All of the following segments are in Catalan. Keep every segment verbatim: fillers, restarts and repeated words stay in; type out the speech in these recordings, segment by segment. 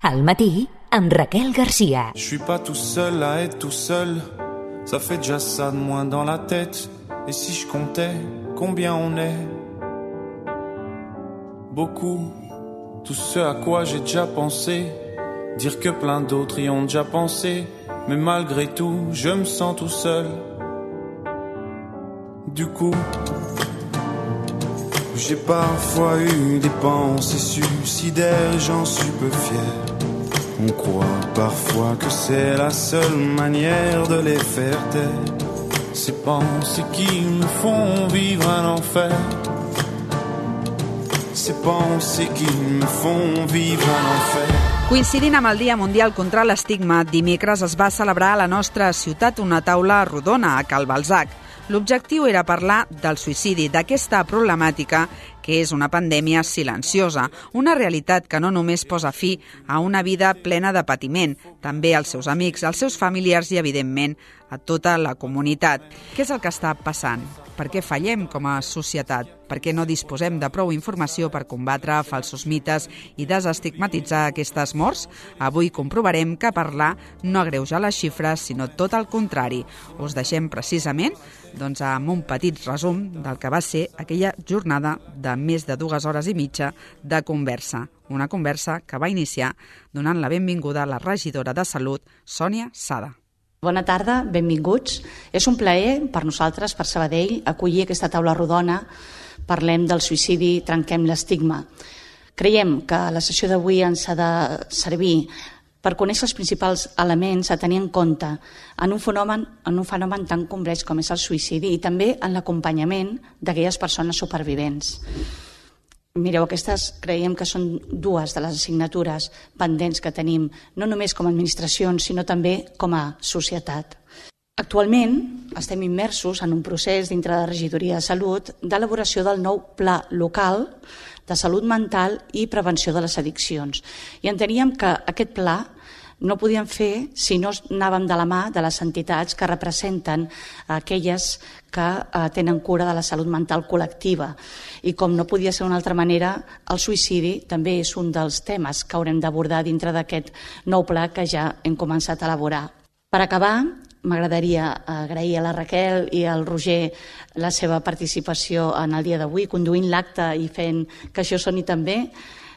Al matí, amb Raquel Garcia. Je suis pas tout seul à être tout seul. Ça fait déjà ça de moins dans la tête. Et si je comptais combien on est? Beaucoup. Tout ce à quoi j'ai déjà pensé. Dire que plein d'autres y ont déjà pensé. Mais malgré tout, je me sens tout seul. Du coup, j'ai parfois eu des pensées suicidaires, j'en suis peu fier. On croit parfois que c'est la seule manière de les faire taire. Ces pensées qui me font vivre un enfer. Ces pensées qui me font vivre un enfer. Coincidint amb el Dia Mundial contra l'Estigma, dimecres es va celebrar a la nostra ciutat una taula rodona a Cal Balzac. L'objectiu era parlar del suïcidi, d'aquesta problemàtica que és una pandèmia silenciosa, una realitat que no només posa fi a una vida plena de patiment, també als seus amics, als seus familiars i, evidentment, a tota la comunitat. Què és el que està passant? Per què fallem com a societat? Per què no disposem de prou informació per combatre falsos mites i desestigmatitzar aquestes morts? Avui comprovarem que parlar no agreuja les xifres, sinó tot el contrari. Us deixem precisament doncs, amb un petit resum del que va ser aquella jornada de més de dues hores i mitja de conversa. Una conversa que va iniciar donant la benvinguda a la regidora de Salut, Sònia Sada. Bona tarda, benvinguts. És un plaer per nosaltres, per Sabadell, acollir aquesta taula rodona. Parlem del suïcidi, trenquem l'estigma. Creiem que la sessió d'avui ens ha de servir per conèixer els principals elements a tenir en compte en un fenomen, en un fenomen tan complex com és el suïcidi i també en l'acompanyament d'aquelles persones supervivents. Mireu, aquestes creiem que són dues de les assignatures pendents que tenim, no només com a administracions, sinó també com a societat. Actualment estem immersos en un procés dintre de la Regidoria de Salut d'elaboració del nou Pla Local de Salut Mental i Prevenció de les Addiccions. I enteníem que aquest pla no podíem fer si no anàvem de la mà de les entitats que representen aquelles que tenen cura de la salut mental col·lectiva. I com no podia ser d'una altra manera, el suïcidi també és un dels temes que haurem d'abordar dintre d'aquest nou pla que ja hem començat a elaborar. Per acabar, m'agradaria agrair a la Raquel i al Roger la seva participació en el dia d'avui, conduint l'acte i fent que això soni també,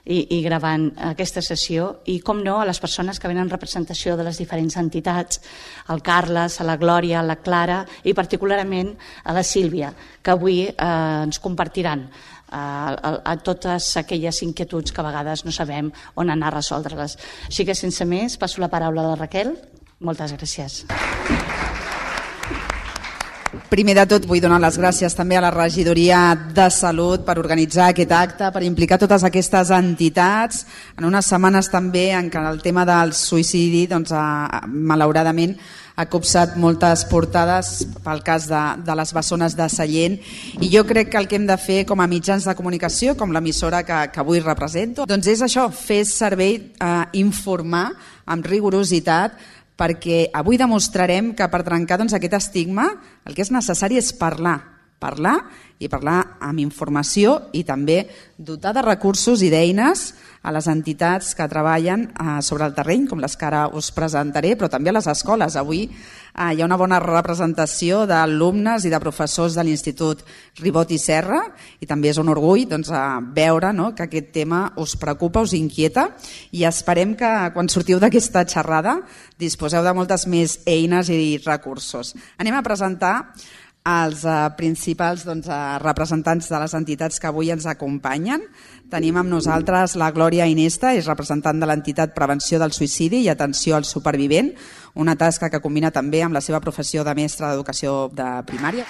i, i gravant aquesta sessió, i com no a les persones que venen en representació de les diferents entitats, al Carles, a la Glòria, a la Clara i particularment a la Sílvia, que avui eh, ens compartiran a, a, a totes aquelles inquietuds que a vegades no sabem on anar a resoldre-les. Així que sense més, passo la paraula a la Raquel. Moltes gràcies. Primer de tot vull donar les gràcies també a la Regidoria de Salut per organitzar aquest acte, per implicar totes aquestes entitats en unes setmanes també en què el tema del suïcidi doncs, ha, malauradament ha copsat moltes portades pel cas de, de les bessones de Sallent, i jo crec que el que hem de fer com a mitjans de comunicació, com l'emissora que, que avui represento, doncs és això, fer servei, eh, informar amb rigorositat, perquè avui demostrarem que per trencar doncs, aquest estigma el que és necessari és parlar, parlar i parlar amb informació i també dotar de recursos i d'eines a les entitats que treballen eh, sobre el terreny, com les que ara us presentaré, però també a les escoles. Avui eh, hi ha una bona representació d'alumnes i de professors de l'Institut Ribot i Serra, i també és un orgull doncs, veure no, que aquest tema us preocupa, us inquieta, i esperem que quan sortiu d'aquesta xerrada disposeu de moltes més eines i recursos. Anem a presentar els eh, principals doncs, eh, representants de les entitats que avui ens acompanyen. Tenim amb nosaltres la Glòria Inesta, és representant de l'entitat Prevenció del Suïcidi i Atenció al Supervivent, una tasca que combina també amb la seva professió de mestra d'educació de primària.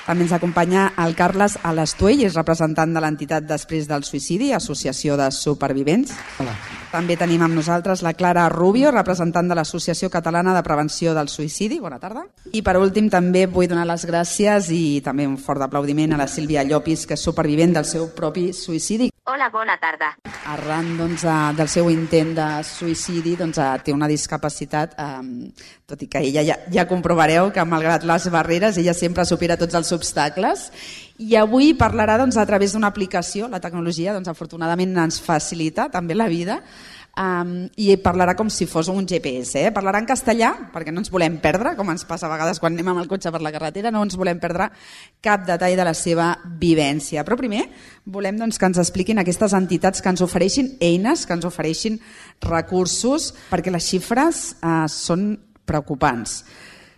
També ens acompanya el Carles Alastuell, és representant de l'entitat Després del Suïcidi, Associació de Supervivents. Hola. També tenim amb nosaltres la Clara Rubio, representant de l'Associació Catalana de Prevenció del Suïcidi. Bona tarda. I per últim també vull donar les gràcies i també un fort aplaudiment a la Sílvia Llopis, que és supervivent del seu propi suïcidi. Hola, bona tarda. Arran doncs, del seu intent de suïcidi doncs, té una discapacitat, eh, tot i que ella ja, ja comprovareu que malgrat les barreres ella sempre supera tots els obstacles, i avui parlarà doncs, a través d'una aplicació. La tecnologia doncs, afortunadament ens facilita també la vida, Um, i parlarà com si fos un G P S, eh? Parlarà en castellà, perquè no ens volem perdre, com ens passa a vegades quan anem amb el cotxe per la carretera, no ens volem perdre cap detall de la seva vivència. Però primer volem doncs, que ens expliquin aquestes entitats que ens ofereixin eines, que ens ofereixin recursos, perquè les xifres uh, són preocupants.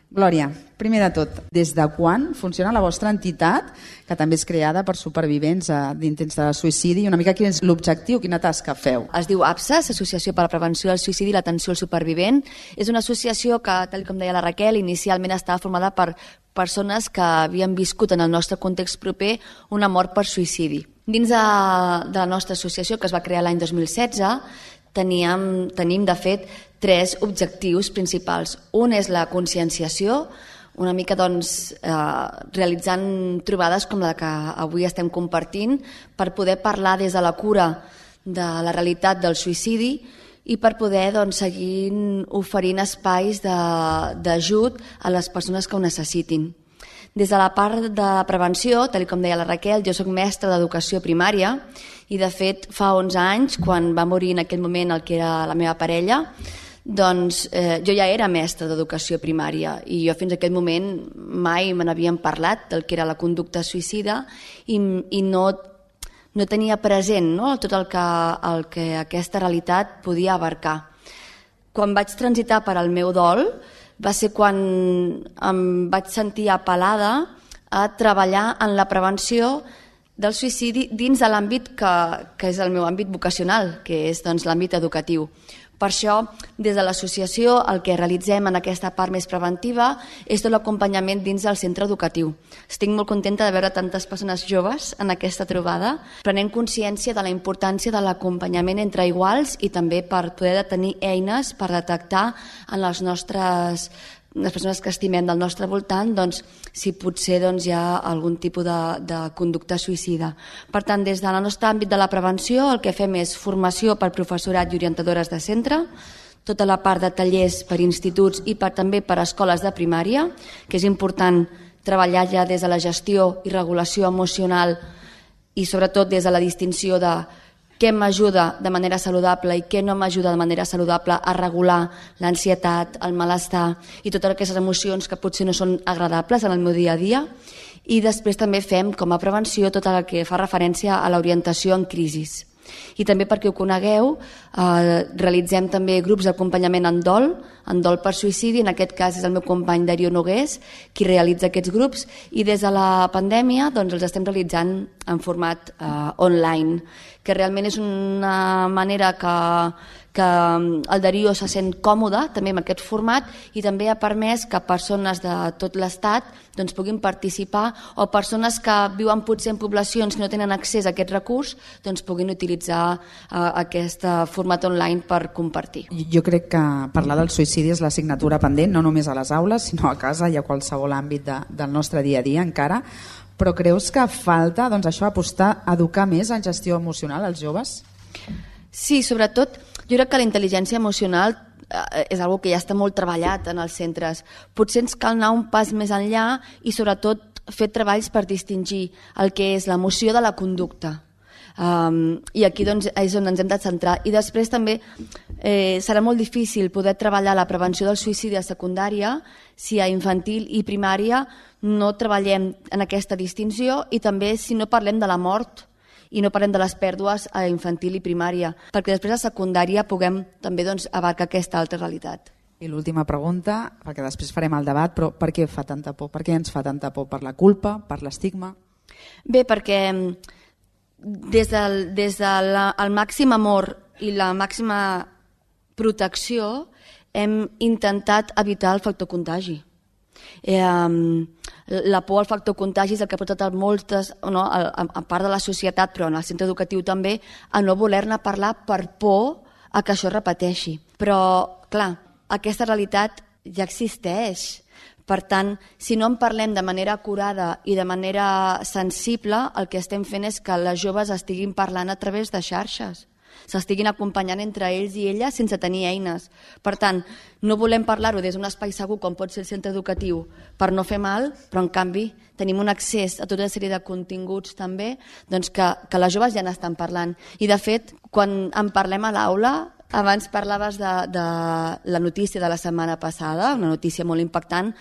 Glòria, primer de tot, des de quan funciona la vostra entitat, que també és creada per supervivents d'intents de suïcidi, i una mica quin és l'objectiu, quina tasca feu? Es diu APSAS, Associació per a la Prevenció del Suïcidi i l'Atenció al Supervivent. És una associació que, tal com deia la Raquel, inicialment estava formada per persones que havien viscut en el nostre context proper una mort per suïcidi. Dins de, de la nostra associació, que es va crear l'any dos mil setze, teníem, tenim, de fet, tres objectius principals. Un és la conscienciació, una mica doncs, eh, realitzant trobades com la que avui estem compartint per poder parlar des de la cura de la realitat del suïcidi i per poder doncs, seguir oferint espais d'ajut a les persones que ho necessitin. Des de la part de prevenció, tal com deia la Raquel, jo soc mestra d'educació primària i de fet fa onze anys, quan va morir en aquell moment el que era la meva parella, doncs eh, jo ja era mestra d'educació primària i jo fins a aquell moment mai me n'havien parlat del que era la conducta suïcida i, i no, no tenia present, no?, tot el que, el que aquesta realitat podia abarcar. Quan vaig transitar per al meu dol va ser quan em vaig sentir apel·lada a treballar en la prevenció del suïcidi dins de l'àmbit que, que és el meu àmbit vocacional, que és doncs, l'àmbit educatiu. Per això, des de l'associació, el que realitzem en aquesta part més preventiva és tot l'acompanyament dins del centre educatiu. Estic molt contenta de veure tantes persones joves en aquesta trobada, prenent consciència de la importància de l'acompanyament entre iguals i també per poder tenir eines per detectar en les nostres les persones que estimem del nostre voltant, doncs, si potser doncs, hi ha algun tipus de, de conducta suïcida. Per tant, des del nostre àmbit de la prevenció, el que fem és formació per professorat i orientadores de centre, tota la part de tallers per instituts i per, també per escoles de primària, que és important treballar ja des de la gestió i regulació emocional i sobretot des de la distinció de què m'ajuda de manera saludable i què no m'ajuda de manera saludable a regular l'ansietat, el malestar i totes aquestes emocions que potser no són agradables en el meu dia a dia. I després també fem com a prevenció tot el que fa referència a l'orientació en crisis. I també perquè ho conegueu, eh, realitzem també grups d'acompanyament en dol, en dol per suïcidi, en aquest cas és el meu company Darío Nogués qui realitza aquests grups i des de la pandèmia doncs, els estem realitzant en format eh, online, que realment és una manera que, que el Darío se sent còmode també amb aquest format i també ha permès que persones de tot l'estat doncs, puguin participar o persones que viuen potser en poblacions que no tenen accés a aquest recurs doncs, puguin utilitzar uh, aquest format online per compartir. Jo crec que parlar del suïcidi és l'assignatura pendent, no només a les aules, sinó a casa i a qualsevol àmbit de, del nostre dia a dia encara. Però creus que falta doncs, això apostar a educar més en gestió emocional als joves? Sí, sobretot jo crec que la intel·ligència emocional eh, és una que ja està molt treballat en els centres. Potser ens cal anar un pas més enllà i sobretot fer treballs per distingir el que és l'emoció de la conducta. Um, I aquí doncs, és on ens hem de centrar. I després també eh, serà molt difícil poder treballar la prevenció del suïcidi a secundària si a infantil i primària no treballem en aquesta distinció i també si no parlem de la mort i no parlem de les pèrdues a infantil i primària, perquè després a secundària puguem també doncs, abarcar aquesta altra realitat. I l'última pregunta, perquè després farem el debat, però per què fa tanta por? Per què ens fa tanta por? Per la culpa? Per l'estigma? Bé, perquè des del, des del el màxim amor i la màxima protecció hem intentat evitar el factor contagi. Eh, la por al factor contagi és el que ha portat a moltes, no, a, a part de la societat, però en el centre educatiu també, a no voler-ne parlar per por a que això es repeteixi. Però, clar, aquesta realitat ja existeix. Per tant, si no en parlem de manera acurada i de manera sensible, el que estem fent és que les joves estiguin parlant a través de xarxes, s'estiguin acompanyant entre ells i elles sense tenir eines. Per tant, no volem parlar-ho des d'un espai segur com pot ser el centre educatiu per no fer mal, però en canvi tenim un accés a tota una sèrie de continguts també doncs que, que les joves ja n'estan parlant. I de fet, quan en parlem a l'aula, Abans parlaves de, de la notícia de la setmana passada, una notícia molt impactant.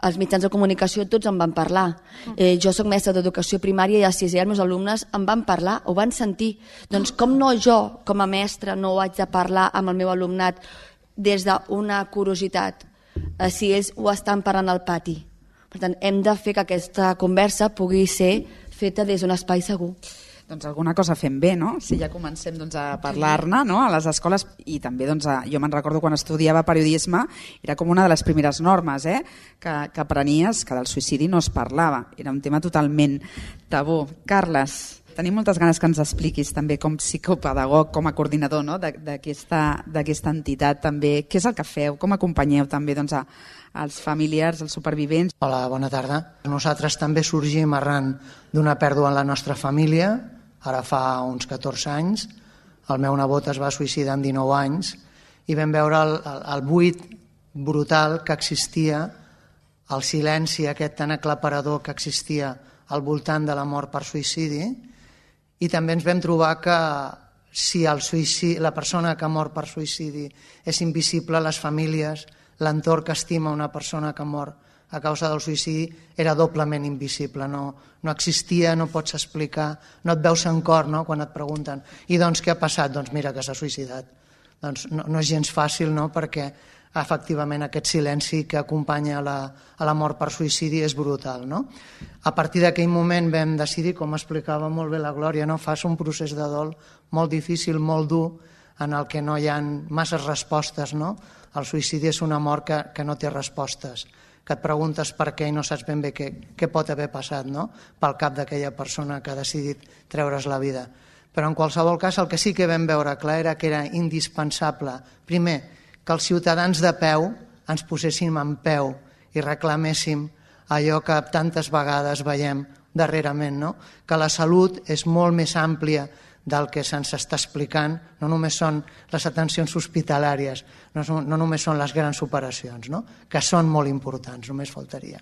Els mitjans de comunicació tots en van parlar. Eh, jo soc mestra d'educació primària i a sisè els meus alumnes en van parlar, ho van sentir. Doncs com no jo, com a mestra, no ho haig de parlar amb el meu alumnat des d'una curiositat, eh, si ells ho estan parlant al pati. Per tant, hem de fer que aquesta conversa pugui ser feta des d'un espai segur. Doncs alguna cosa fem bé, no? Si ja comencem doncs, a parlar-ne, no? A les escoles, i també doncs, a, jo me'n recordo quan estudiava periodisme, era com una de les primeres normes eh? que, que aprenies, que del suïcidi no es parlava, era un tema totalment tabú. Carles, tenim moltes ganes que ens expliquis també com psicopedagog, com a coordinador no? d'aquesta entitat també, què és el que feu, com acompanyeu també doncs, a, als familiars, als supervivents. Hola, bona tarda. Nosaltres també sorgim arran d'una pèrdua en la nostra família, ara fa uns catorze anys. El meu nebot es va suïcidar amb dinou anys i vam veure el, el, el buit brutal que existia, el silenci aquest tan aclaparador que existia al voltant de la mort per suïcidi, i també ens vam trobar que si el suïcidi, la persona que ha mort per suïcidi és invisible, les famílies, l'entorn que estima una persona que ha mort a causa del suïcidi era doblement invisible, no, no existia, no pots explicar, no et veus en cor no? Quan et pregunten i doncs què ha passat? Doncs mira que s'ha suïcidat. Doncs no, no és gens fàcil, no? Perquè efectivament aquest silenci que acompanya a la, a la mort per suïcidi és brutal. No? A partir d'aquell moment vam decidir, com explicava molt bé la Glòria, no? Fas un procés de dol molt difícil, molt dur, en el que no hi ha masses respostes. No? El suïcidi és una mort que, que no té respostes, que et preguntes per què i no saps ben bé què, què pot haver passat no? Pel cap d'aquella persona que ha decidit treure's la vida. Però en qualsevol cas el que sí que vam veure clar era que era indispensable, primer, que els ciutadans de peu ens poséssim en peu i reclaméssim allò que tantes vegades veiem darrerament, no? Que la salut és molt més àmplia del que se'ns està explicant, no només són les atencions hospitalàries, no, són, no només són les grans operacions, no? Que són molt importants, només faltaria.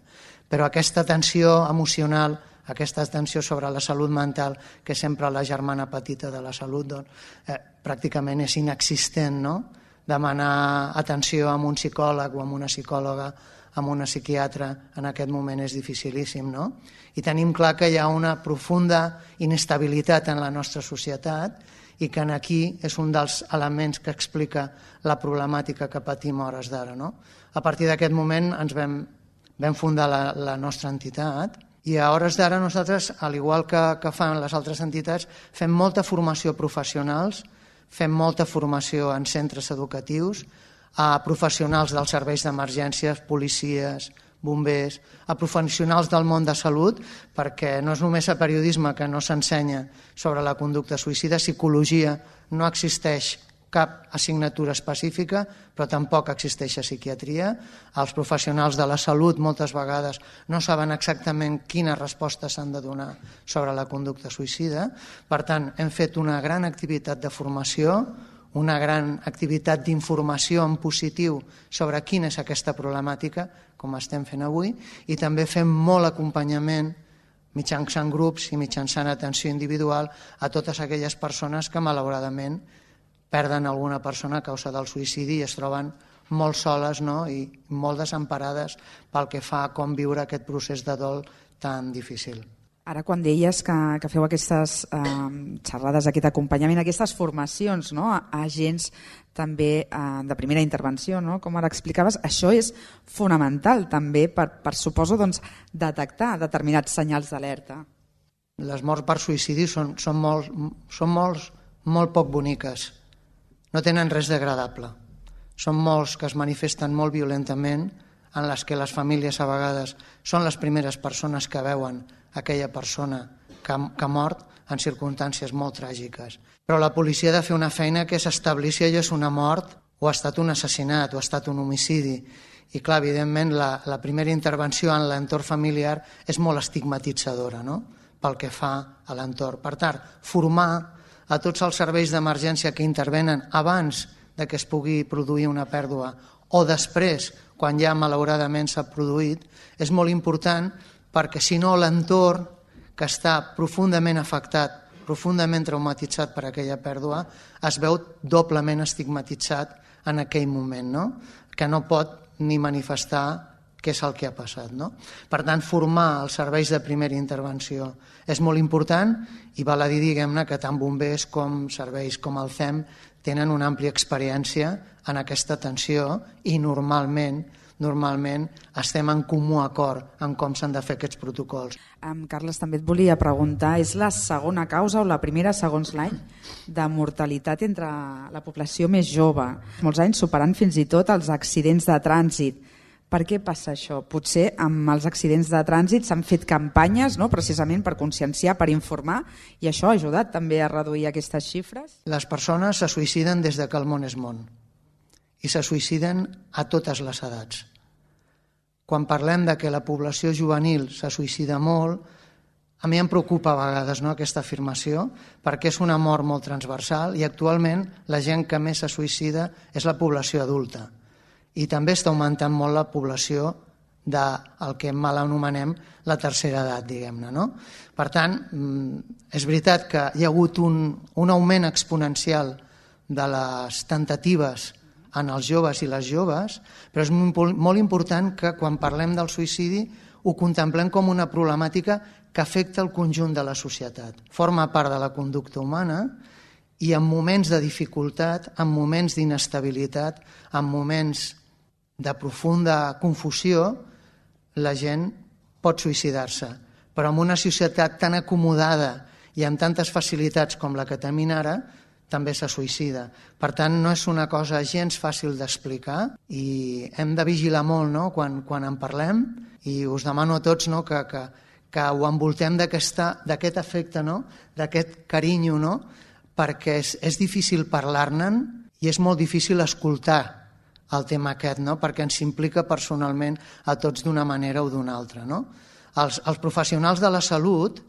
Però aquesta atenció emocional, aquesta atenció sobre la salut mental, que sempre la germana petita de la salut, doncs, eh, pràcticament és inexistent, no? Demanar atenció a un psicòleg o a una psicòloga, amb una psiquiatra, en aquest moment és dificilíssim, no? I tenim clar que hi ha una profunda inestabilitat en la nostra societat i que aquí és un dels elements que explica la problemàtica que patim a hores d'ara, no? A partir d'aquest moment ens vam, vam fundar la, la nostra entitat i a hores d'ara nosaltres, al igual que, que fan les altres entitats, fem molta formació professionals, fem molta formació en centres educatius, a professionals dels serveis d'emergències, policies, bombers, a professionals del món de salut, perquè no és només a periodisme que no s'ensenya sobre la conducta suïcida, psicologia no existeix cap assignatura específica, però tampoc existeix a psiquiatria. Els professionals de la salut moltes vegades no saben exactament quines respostes s'han de donar sobre la conducta suïcida. Per tant, hem fet una gran activitat de formació, una gran activitat d'informació en positiu sobre quina és aquesta problemàtica, com estem fent avui, i també fem molt acompanyament mitjançant grups i mitjançant atenció individual a totes aquelles persones que malauradament perden alguna persona a causa del suïcidi i es troben molt soles, no? I molt desemparades pel que fa a com viure aquest procés de dol tan difícil. Ara, quan deies que, que feu aquestes eh, xerrades, aquest acompanyament, aquestes formacions no? a, a agents també eh, de primera intervenció, no? Com ara explicaves, això és fonamental també per, per suposo, doncs, detectar determinats senyals d'alerta. Les morts per suïcidi són, són, molt, són molts, molt poc boniques, no tenen res d'agradable. Són molts que es manifesten molt violentament, en les que les famílies a vegades són les primeres persones que veuen aquella persona que ha, que ha mort en circumstàncies molt tràgiques. Però la policia ha de fer una feina que és establir si allò és una mort o ha estat un assassinat o ha estat un homicidi. I clar, evidentment, la, la primera intervenció en l'entorn familiar és molt estigmatitzadora, no? Pel que fa a l'entorn. Per tant, formar a tots els serveis d'emergència que intervenen abans de que es pugui produir una pèrdua o després, quan ja malauradament s'ha produït, és molt important perquè si no l'entorn que està profundament afectat profundament traumatitzat per aquella pèrdua, es veu doblement estigmatitzat en aquell moment, no? Que no pot ni manifestar què és el que ha passat. No? Per tant, formar els serveis de primera intervenció és molt important i val a dir, diguem-ne, que tant bombers com serveis com el C E M tenen una àmplia experiència en aquesta atenció i normalment normalment estem en comú acord en com s'han de fer aquests protocols. Um, Carles, també et volia preguntar, és la segona causa o la primera, segons l'any, de mortalitat entre la població més jove? Molts anys superant fins i tot els accidents de trànsit. Per què passa això? Potser amb els accidents de trànsit s'han fet campanyes, no?, precisament per conscienciar, per informar, i això ha ajudat també a reduir aquestes xifres? Les persones se suïciden des de que el món és món i se suïciden a totes les edats. Quan parlem de que la població juvenil se suïcida molt, a mi em preocupa a vegades, no, aquesta afirmació, perquè és una mort molt transversal i actualment la gent que més se suïcida és la població adulta. I també està augmentant molt la població del que mal anomenem la tercera edat, diguem-ne. No? Per tant, és veritat que hi ha hagut un, un augment exponencial de les temptatives en els joves i les joves, però és molt important que quan parlem del suïcidi ho contemplem com una problemàtica que afecta el conjunt de la societat. Forma part de la conducta humana i en moments de dificultat, en moments d'inestabilitat, en moments de profunda confusió, la gent pot suïcidar-se. Però en una societat tan acomodada i amb tantes facilitats com la que tenim ara, també se suïcida. Per tant, no és una cosa gens fàcil d'explicar i hem de vigilar molt, no?, quan, quan en parlem, i us demano a tots, no?, que, que, que ho envoltem d'aquest afecte, no?, d'aquest carinyo, no?, perquè és, és difícil parlar-ne'n i és molt difícil escoltar el tema aquest, no?, perquè ens implica personalment a tots d'una manera o d'una altra. No? Els, els professionals de la salut,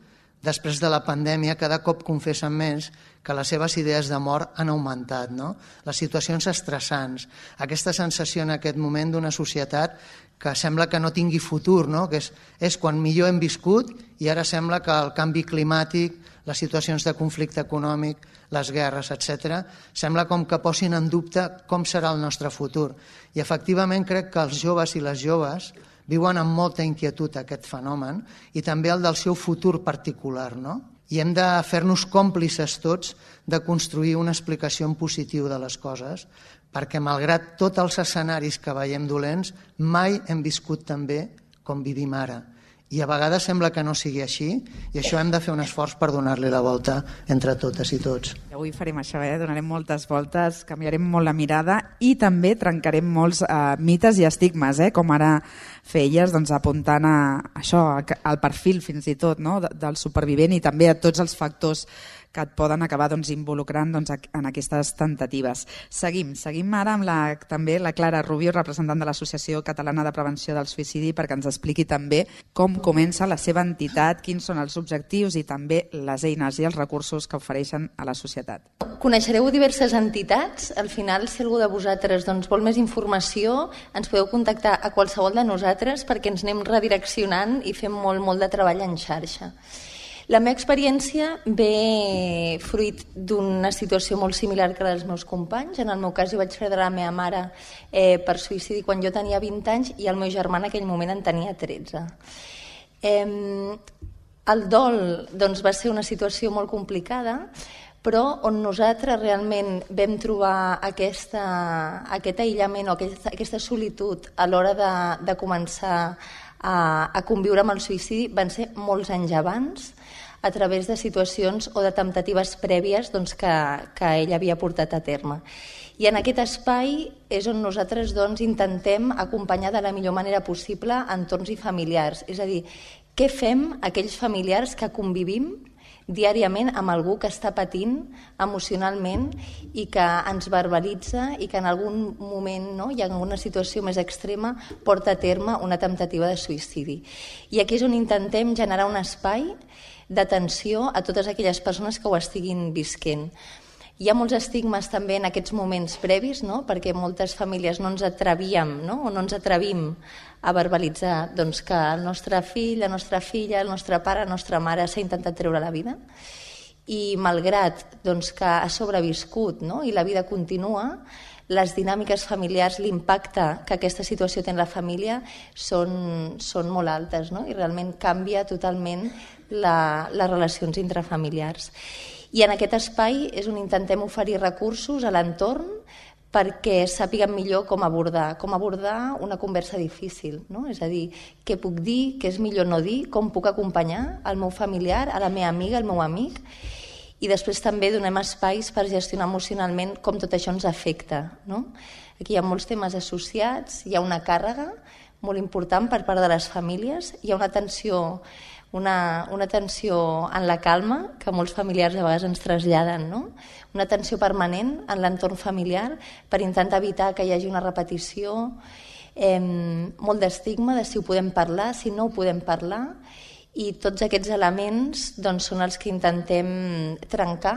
després de la pandèmia, cada cop confessen més que les seves idees de mort han augmentat. No? Les situacions estressants, aquesta sensació en aquest moment d'una societat que sembla que no tingui futur, no? que és, és quan millor hem viscut i ara sembla que el canvi climàtic, les situacions de conflicte econòmic, les guerres, etcètera, sembla com que posin en dubte com serà el nostre futur. I efectivament crec que els joves i les joves viuen amb molta inquietud aquest fenomen i també el del seu futur particular. No? I hem de fer-nos còmplices tots de construir una explicació en positiu de les coses, perquè malgrat tots els escenaris que veiem dolents, mai hem viscut tan bé com vivim ara. I a vegades sembla que no sigui així i això hem de fer un esforç per donar-li la volta entre totes i tots. I avui farem això, eh? Donarem moltes voltes, canviarem molt la mirada i també trencarem molts eh, mites i estigmes, eh? Com ara feies, doncs, apuntant a això, al perfil fins i tot, no? del supervivent i també a tots els factors que et poden acabar doncs, involucrant doncs, en aquestes temptatives. Seguim, seguim ara amb la, també la Clara Rubio, representant de l'Associació Catalana de Prevenció del Suïcidi, perquè ens expliqui també com comença la seva entitat, quins són els objectius i també les eines i els recursos que ofereixen a la societat. Coneixereu diverses entitats. Al final, si algú de vosaltres doncs, vol més informació, ens podeu contactar a qualsevol de nosaltres perquè ens anem redireccionant i fem molt, molt de treball en xarxa. La meva experiència ve fruit d'una situació molt similar que la dels meus companys. En el meu cas, jo vaig perdre la meva mare eh, per suïcidi quan jo tenia vint anys i el meu germà en aquell moment en tenia tretze. Eh, el dol doncs, va ser una situació molt complicada, però on nosaltres realment vam trobar aquesta, aquest aïllament o aquesta, aquesta solitud a l'hora de, de començar a, a conviure amb el suïcidi van ser molts anys abans, a través de situacions o de temptatives prèvies doncs, que, que ell havia portat a terme. I en aquest espai és on nosaltres doncs, intentem acompanyar de la millor manera possible entorns i familiars. És a dir, què fem aquells familiars que convivim diàriament amb algú que està patint emocionalment i que ens verbalitza i que en algun moment, no, i en alguna situació més extrema, porta a terme una temptativa de suïcidi. I aquí és on intentem generar un espai d'atenció a totes aquelles persones que ho estiguin visquent. Hi ha molts estigmes també en aquests moments previs, no? Perquè moltes famílies no ens atrevíem, no? o no ens atrevim a verbalitzar doncs, que el nostre fill, la nostra filla, el nostre pare, la nostra mare s'ha intentat treure la vida. i malgrat doncs, que ha sobreviscut, no? I la vida continua, les dinàmiques familiars, l'impacte que aquesta situació té en la família són, són molt altes, no? I realment canvia totalment la, les relacions intrafamiliars. I en aquest espai és on intentem oferir recursos a l'entorn perquè sàpiguen millor com abordar, com abordar una conversa difícil, no? És a dir, què puc dir, què és millor no dir, com puc acompanyar el meu familiar, a la meva amiga, el meu amic, i després també donem espais per gestionar emocionalment com tot això ens afecta, no? Aquí hi ha molts temes associats, hi ha una càrrega molt important per part de les famílies, hi ha una tensió, una, una tensió en la calma que molts familiars a vegades ens traslladen, no? Una tensió permanent en l'entorn familiar per intentar evitar que hi hagi una repetició, eh, molt d'estigma de si ho podem parlar, si no ho podem parlar, i tots aquests elements doncs, són els que intentem trencar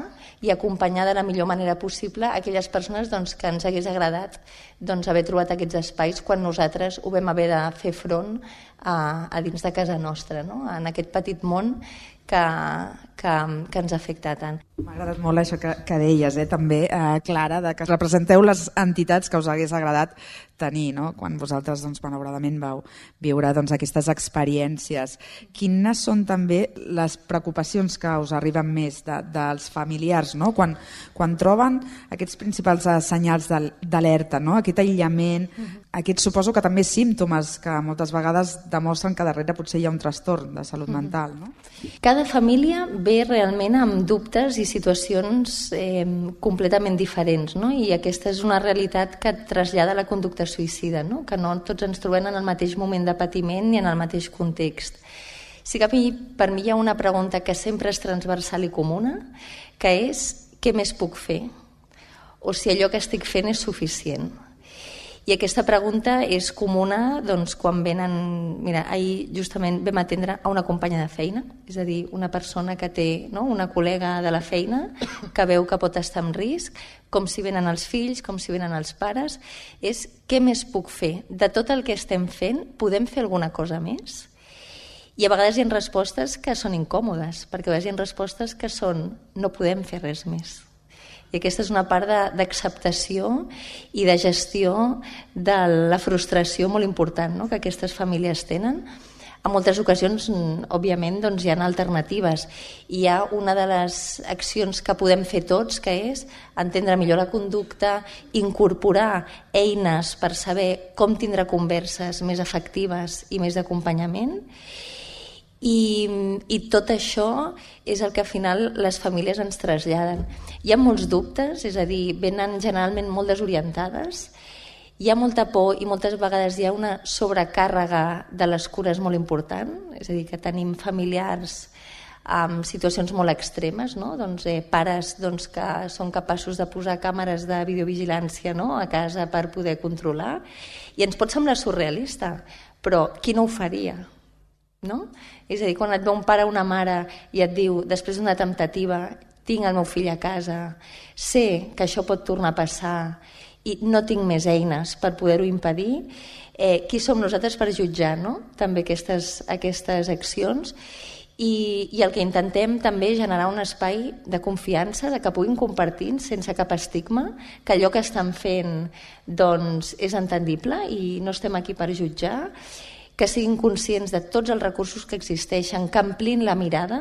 i acompanyar de la millor manera possible aquelles persones doncs, que ens hagués agradat doncs, haver trobat aquests espais quan nosaltres ho vam haver de fer front a, a dins de casa nostra, no? En aquest petit món que, que, que ens afecta tant. M'ha agradat molt això que, que deies, eh, també, eh, Clara, de que representeu les entitats que us hagués agradat tenir, no? Quan vosaltres, doncs, malauradament, vau viure doncs, aquestes experiències. Quines són també les preocupacions que us arriben més de, dels familiars, no? Quan, quan troben aquests principals senyals d'alerta, no? Aquest aïllament, uh-huh. Aquests suposo que també símptomes que moltes vegades demostren que darrere potser hi ha un trastorn de salut uh-huh. mental, no? Cada família ve realment amb dubtes i situacions eh, completament diferents, no? I aquesta és una realitat que trasllada la conducta suïcida, no? Que no tots ens trobem en el mateix moment de patiment ni en el mateix context. Sí que a mi, per mi hi ha una pregunta que sempre és transversal i comuna, que és què més puc fer? O si allò que estic fent és suficient? I aquesta pregunta és comuna doncs, quan venen... Mira, ahir justament vam atendre a una companya de feina, és a dir, una persona que té, no? Una col·lega de la feina que veu que pot estar en risc, com si venen els fills, com si venen els pares, és què més puc fer? De tot el que estem fent, podem fer alguna cosa més? I a vegades hi ha respostes que són incòmodes, perquè a vegades hi ha respostes que són no podem fer res més. I aquesta és una part d'acceptació i de gestió de la frustració molt important, no? Que aquestes famílies tenen. En moltes ocasions, òbviament, doncs, hi ha alternatives. Hi ha una de les accions que podem fer tots, que és entendre millor la conducta, incorporar eines per saber com tindre converses més efectives i més d'acompanyament. I, i tot això és el que al final les famílies ens traslladen. Hi ha molts dubtes, és a dir, venen generalment molt desorientades, hi ha molta por i moltes vegades hi ha una sobrecàrrega de les cures molt important, és a dir, que tenim familiars amb situacions molt extremes, no? Doncs, eh, pares doncs, que són capaços de posar càmeres de videovigilància, no? A casa per poder controlar, i ens pot semblar surrealista, però qui no ho faria? No? És a dir, quan et ve un pare o una mare i et diu, després d'una temptativa, tinc el meu fill a casa, sé que això pot tornar a passar i no tinc més eines per poder-ho impedir, eh, qui som nosaltres per jutjar, no? També aquestes, aquestes accions, i, i el que intentem també és generar un espai de confiança, de que puguin compartir sense cap estigma, que allò que estan fent doncs, és entendible i no estem aquí per jutjar, que siguin conscients de tots els recursos que existeixen, que amplin la mirada,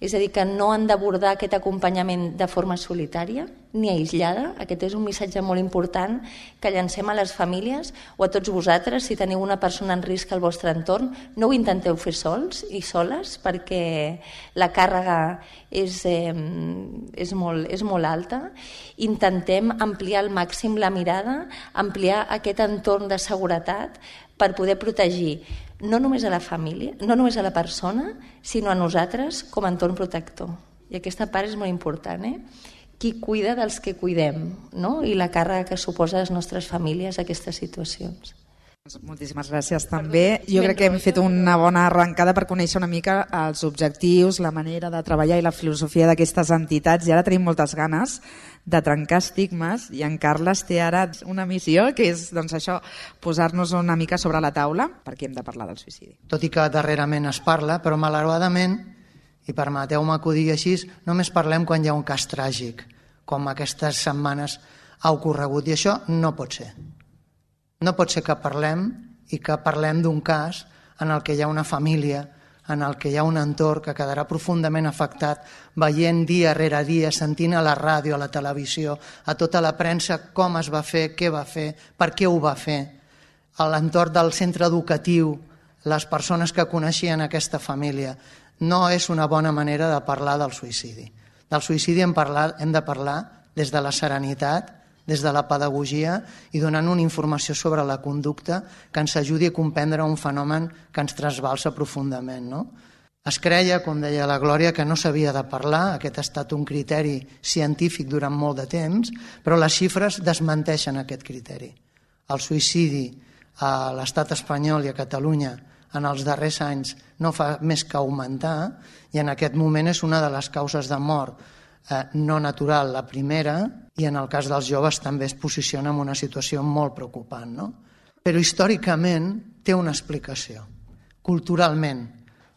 és a dir, que no han d'abordar aquest acompanyament de forma solitària ni aïllada. Aquest és un missatge molt important que llancem a les famílies o a tots vosaltres. Si teniu una persona en risc al vostre entorn, no ho intenteu fer sols i soles, perquè la càrrega és, eh, és, molt, és molt alta. Intentem ampliar al màxim la mirada, ampliar aquest entorn de seguretat per poder protegir no només a la família, no només a la persona, sinó a nosaltres com a entorn protector. I aquesta part és molt important, eh? Qui cuida dels que cuidem, no? I la càrrega que suposa a les nostres famílies aquestes situacions. Moltíssimes gràcies també. Jo crec que hem fet una bona arrencada per conèixer una mica els objectius, la manera de treballar i la filosofia d'aquestes entitats, i ara tenim moltes ganes de trencar estigmes, i en Carles té ara una missió, que és doncs, això, posar-nos una mica sobre la taula, perquè hem de parlar del suïcidi. Tot i que darrerament es parla, però malauradament i permeteu-me que ho digui així, només parlem quan hi ha un cas tràgic, com aquestes setmanes ha ocorregut, i això no pot ser. No pot ser que parlem i que parlem d'un cas en el que hi ha una família, en el que hi ha un entorn que quedarà profundament afectat veient dia rere dia, sentint a la ràdio, a la televisió, a tota la premsa com es va fer, què va fer, per què ho va fer, a l'entorn del centre educatiu, les persones que coneixien aquesta família. No és una bona manera de parlar del suïcidi. Del suïcidi hem, parlat, hem de parlar des de la serenitat, des de la pedagogia i donant una informació sobre la conducta que ens ajudi a comprendre un fenomen que ens trasbalsa profundament. No? Es creia, com deia la Glòria, que no s'havia de parlar, aquest ha estat un criteri científic durant molt de temps, però les xifres desmenteixen aquest criteri. El suïcidi a l'estat espanyol i a Catalunya en els darrers anys no fa més que augmentar i en aquest moment és una de les causes de mort eh, no natural, la primera, i en el cas dels joves també es posiciona en una situació molt preocupant. No? Però històricament té una explicació. Culturalment,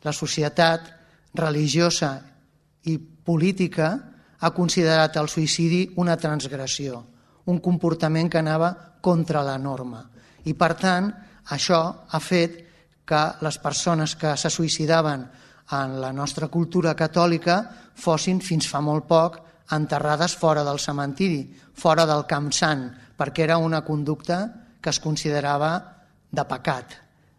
la societat religiosa i política ha considerat el suïcidi una transgressió, un comportament que anava contra la norma. I per tant, això ha fet que les persones que se suïcidaven en la nostra cultura catòlica fossin fins fa molt poc enterrades fora del cementiri, fora del Camp Sant, perquè era una conducta que es considerava de pecat,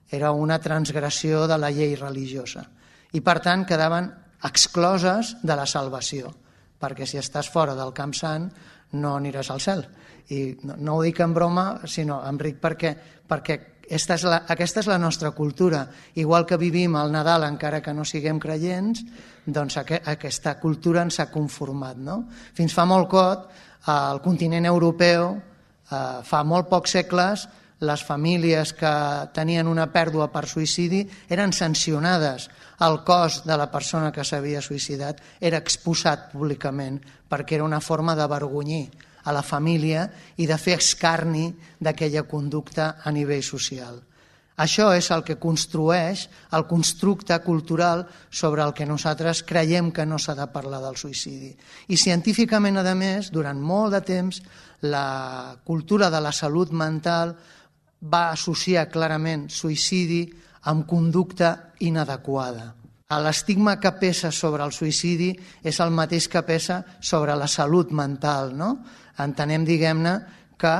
era una transgressió de la llei religiosa i per tant quedaven excloses de la salvació, perquè si estàs fora del Camp Sant no aniràs al cel. I no, no ho dic en broma, sinó en ric perquè, perquè esta és la, aquesta és la nostra cultura. Igual que vivim el Nadal encara que no siguem creients, doncs aqu aquesta cultura ens ha conformat. No? Fins fa molt cot, al continent europeu, eh, fa molt pocs segles, les famílies que tenien una pèrdua per suïcidi eren sancionades. El cos de la persona que s'havia suïcidat era exposat públicament perquè era una forma d'avergonyir a la família i de fer escarni d'aquella conducta a nivell social. Això és el que construeix el constructe cultural sobre el que nosaltres creiem que no s'ha de parlar del suïcidi. I científicament, a més, durant molt de temps, la cultura de la salut mental va associar clarament suïcidi amb conducta inadequada. L'estigma que pesa sobre el suïcidi és el mateix que pesa sobre la salut mental. No? Entenem, diguem-ne, que,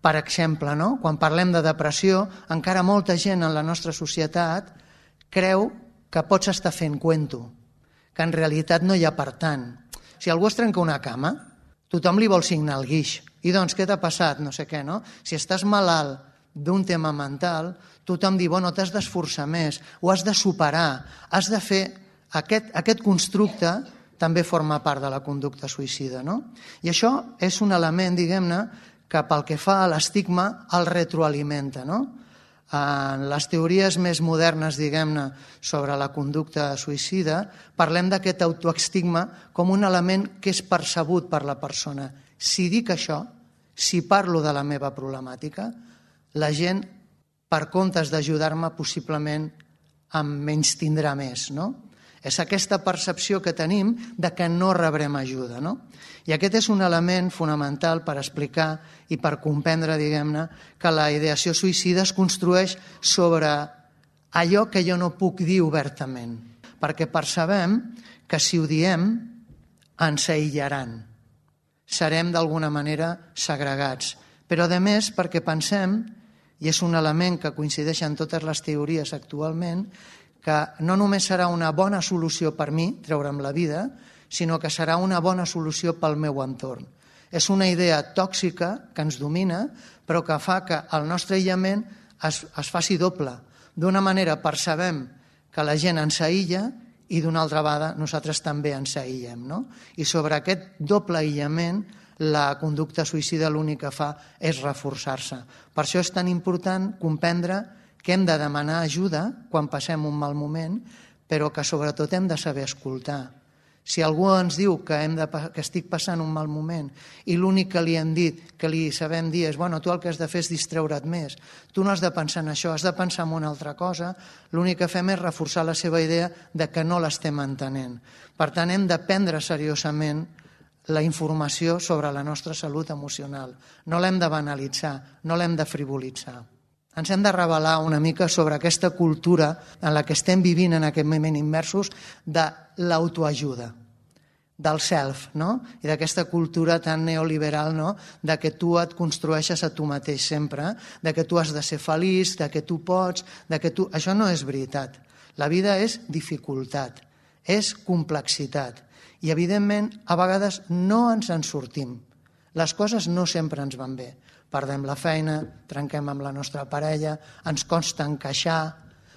per exemple, no? quan parlem de depressió, encara molta gent en la nostra societat creu que pots estar fent cuento, que en realitat no hi ha per tant. Si algú es trenca una cama, tothom li vol signar el guix. I doncs, què t'ha passat? No sé què, no? Si estàs malalt d'un tema mental, tothom diu, bueno, t'has d'esforçar més, ho has de superar, has de fer... Aquest, aquest constructe també forma part de la conducta suïcida. No? I això és un element, diguem-ne, que pel que fa a l'estigma el retroalimenta. No? En les teories més modernes, diguem-ne, sobre la conducta suïcida, parlem d'aquest autoestigma com un element que és percebut per la persona. Si dic això, si parlo de la meva problemàtica, la gent, per comptes d'ajudar-me, possiblement em menystindrà més. No? És aquesta percepció que tenim de que no rebrem ajuda. No? I aquest és un element fonamental per explicar i per comprendre, diguem-ne, que la ideació suïcida es construeix sobre allò que jo no puc dir obertament, perquè percebem que si ho diem ens aïllaran, serem d'alguna manera segregats, però a més perquè pensem, i és un element que coincideix en totes les teories actualment, que no només serà una bona solució per mi, treure'm la vida, sinó que serà una bona solució pel meu entorn. És una idea tòxica que ens domina, però que fa que el nostre aïllament es, es faci doble. D'una manera percebem que la gent ens aïlla i d'una altra banda nosaltres també ens aïllem. No? I sobre aquest doble aïllament la conducta suïcida l'únic que fa és reforçar-se. Per això és tan important comprendre que hem de demanar ajuda quan passem un mal moment, però que sobretot hem de saber escoltar. Si algú ens diu que, hem de, que estic passant un mal moment i l'únic que li hem dit, que li sabem dir és bueno, tu el que has de fer és distreure't més, tu no has de pensar en això, has de pensar en una altra cosa, l'únic que fem és reforçar la seva idea de que no l'estem entenent. Per tant, hem de prendre seriosament la informació sobre la nostra salut emocional. No l'hem de banalitzar, no l'hem de frivolitzar. Ens hem de revelar una mica sobre aquesta cultura en la que estem vivint en aquest moment immersos de l'autoajuda, del self, no? I d'aquesta cultura tan neoliberal, no? De que tu et construeixes a tu mateix sempre, de que tu has de ser feliç, de que tu pots, de que tu... Això no és veritat. La vida és dificultat, és complexitat. I, evidentment, a vegades no ens en sortim. Les coses no sempre ens van bé. Perdem la feina, trenquem amb la nostra parella, ens costa encaixar,